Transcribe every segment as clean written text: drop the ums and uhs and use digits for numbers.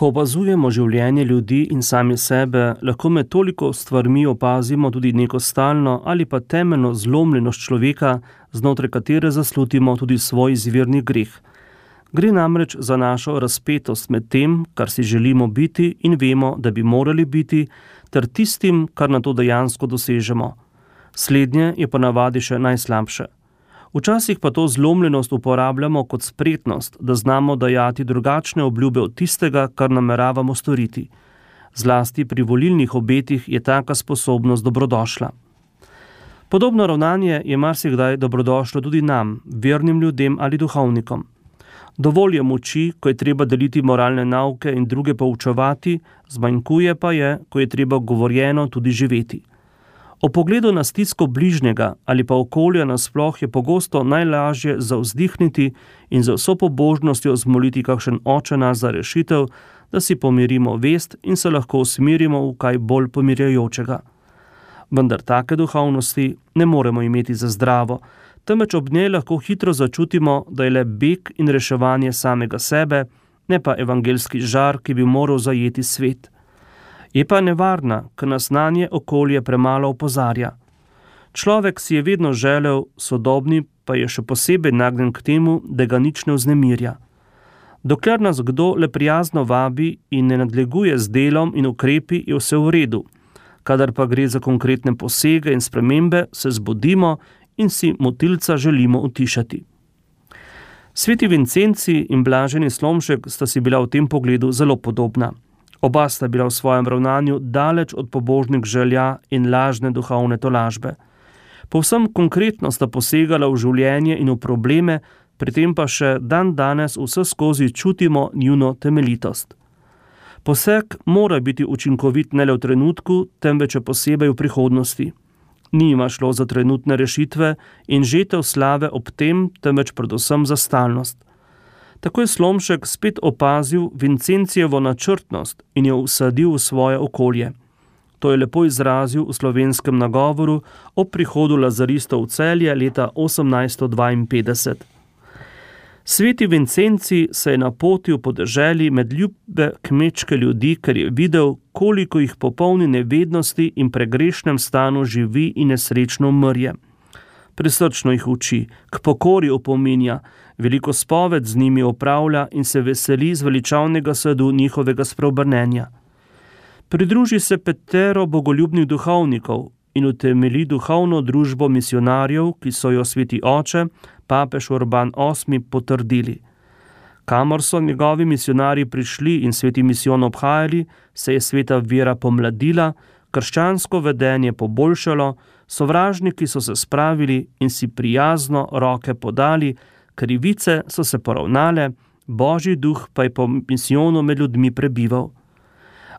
Ko opazujemo življenje ljudi in sami sebe, lahko med toliko stvarmi opazimo tudi neko stalno ali pa temeljno zlomljenost človeka, znotraj katere zaslutimo tudi svoj izvirni greh. Gre namreč za našo razpetost med tem, kar si želimo biti in vemo, da bi morali biti, ter tistim, kar na to dejansko dosežemo. Slednje je ponavadi še najslabše. Včasih pa to zlomljenost uporabljamo kot spretnost, da znamo dajati drugačne obljube od tistega, kar nameravamo storiti. Zlasti pri volilnih obetih je taka sposobnost dobrodošla. Podobno ravnanje je marsikdaj dobrodošlo tudi nam, vernim ljudem ali duhovnikom. Dovolj je moči, ko je treba deliti moralne nauke in druge poučevati, zmanjkuje pa je, ko je treba govorjeno tudi živeti. O pogledu na stisko bližnjega ali pa okolja nasploh je pogosto najlažje zavzdihniti in z vso pobožnostjo zmoliti kakšen oče nas za rešitev, da si pomirimo vest in se lahko usmerimo v kaj bolj pomirjajočega. Vendar take duhovnosti ne moremo imeti za zdravo, temveč ob njej lahko hitro začutimo, da je le beg in reševanje samega sebe, ne pa evangelski žar, ki bi moral zajeti svet. Je pa nevarna, ker nas nanje okolje premalo opozarja. Človek si je vedno želel, sodobni pa je še posebej nagnjen k temu, da ga nič ne vznemirja. Dokler nas kdo le prijazno vabi in ne nadleguje z delom in ukrepi, je vse v redu. Kadar pa gre za konkretne posege in spremembe, se zbudimo in si motilca želimo utišati. Sveti Vincenci in blaženi Slomšek sta si bila v tem pogledu zelo podobna. Oba sta bila v svojem ravnanju daleč od pobožnih želja in lažne duhovne tolažbe. Povsem konkretno sta posegala v življenje in v probleme, pri tem pa še dan danes vseskozi čutimo njuno temeljitost. Poseg mora biti učinkovit ne le v trenutku, temveč posebej v prihodnosti. Ni jima šlo za trenutne rešitve in žetev slave ob tem, temveč predvsem za stalnost. Tako je Slomšek spet opazil Vincencijevo načrtnost in jo vsadil v svoje okolje. To je lepo izrazil v slovenskem nagovoru ob prihodu lazaristov v Celje leta 1852. Sveti Vincenci se je napotil po deželi med ljube kmečke ljudi, ker je videl, koliko jih popolni nevednosti in pregrešnem stanu živi in nesrečno umrje. Prisrčno jih uči, k pokori opominja, veliko spoved z njimi opravlja in se veseli zveličavnega sadu njihovega spreobrnenja. Pridruži se petero bogoljubnih duhovnikov in utemeli duhovno družbo misionarjev, ki so jo sveti oče, papež Urban VIII potrdili. Kamor so njegovi misionarji prišli in sveti misijon obhajali, se je sveta vera pomladila, krščansko vedenje poboljšalo, sovražniki so se spravili in si prijazno roke podali, krivice so se poravnale, Božji duh pa je po misijonu med ljudmi prebival.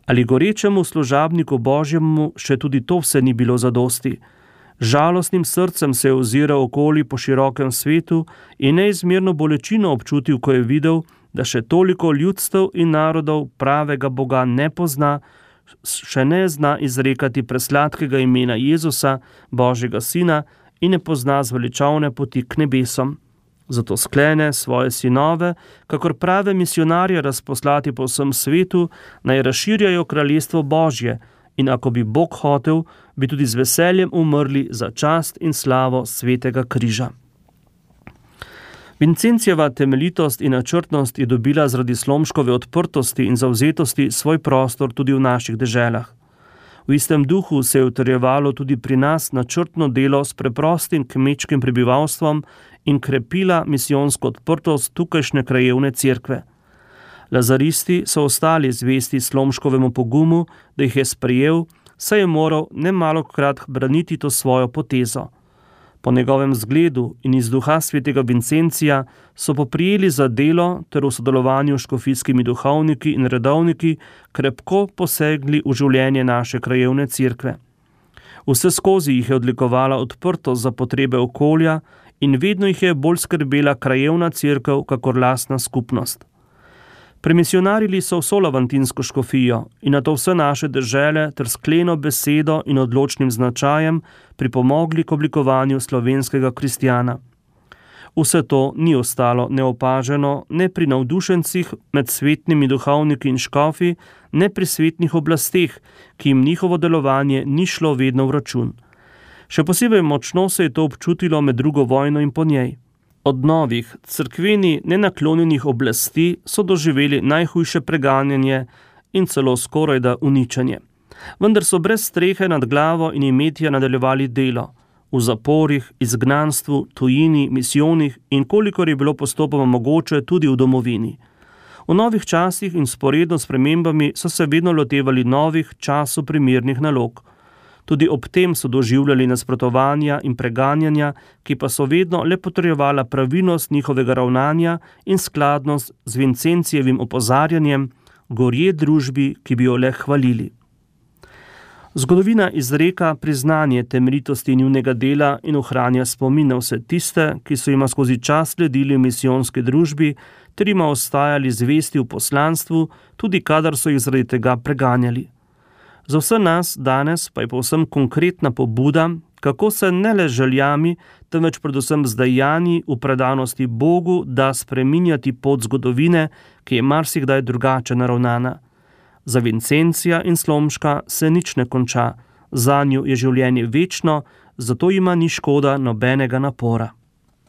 Ali gorečemu služabniku Božjemu še tudi to vse ni bilo zadosti. Žalostnim srcem se je oziral okoli po širokem svetu in neizmerno bolečino občutil, ko je videl, da še toliko ljudstev in narodov pravega Boga ne pozna, še ne zna izrekati presladkega imena Jezusa, Božjega Sina, in ne pozna zveličavne poti k nebesom. Zato sklene svoje sinove, kakor prave misionarje razposlati po vsem svetu, naj razširjajo kraljestvo Božje in ako bi Bog hotel, bi tudi z veseljem umrli za čast in slavo svetega križa. Vincencijeva temeljitost in načrtnost je dobila zaradi Slomškove odprtosti in zavzetosti svoj prostor tudi v naših deželah. V istem duhu se je utrjevalo tudi pri nas načrtno delo s preprostim kmečkim prebivalstvom in krepila misijonsko odprtost tukajšnje krajevne cerkve. Lazaristi so ostali zvesti Slomškovemu pogumu, da jih je sprejel, saj je moral nemalokrat braniti to svojo potezo. Po njegovem zgledu in iz duha svetega Vincencija so poprijeli za delo ter v sodelovanju s škofijskimi duhovniki in redovniki krepko posegli v življenje naše krajevne cerkve. Vseskozi jih je odlikovala odprtost za potrebe okolja in vedno jih je bolj skrbela krajevna cerkev kakor lastna skupnost. Premisionarili so vso lavantinsko škofijo in na to vse naše dežele ter skleno besedo in odločnim značajem pripomogli k oblikovanju slovenskega kristjana. Vse to ni ostalo neopaženo ne pri navdušencih med svetnimi duhovniki in škofi, ne pri svetnih oblasteh, ki jim njihovo delovanje ni šlo vedno v račun. Še posebej močno se je to občutilo med drugo vojno in po njej. Od novih, cerkveni nenaklonjenih oblasti so doživeli najhujše preganjanje in celo skorajda uničenje. Vendar so brez strehe nad glavo in imetja nadaljevali delo. V zaporih, izgnanstvu, tujini, misijonih in kolikor je bilo postopoma mogoče tudi v domovini. V novih časih in sporedno s spremembami so se vedno lotevali novih, času primernih nalog. Tudi ob tem so doživljali nasprotovanja in preganjanja, ki pa so vedno le potrjevala pravilnost njihovega ravnanja in skladnost z Vincencijevim opozarjanjem, gorje družbi, ki bi jo le hvalili. Zgodovina izreka priznanje temeljitosti njunega dela in ohranja spomin na vse tiste, ki so jima skozi čas sledili v misijonski družbi, ter jima ostajali zvesti v poslanstvu, tudi kadar so jih zaradi tega preganjali. Za vse nas danes pa je povsem konkretna pobuda, kako se ne le željami, temveč predvsem z dejanji v predanosti Bogu da spreminjati pot zgodovine, ki je marsikdaj drugače naravnana. Za Vincencija in Slomška se nič ne konča, zanju je življenje večno, zato jima ni škoda nobenega napora.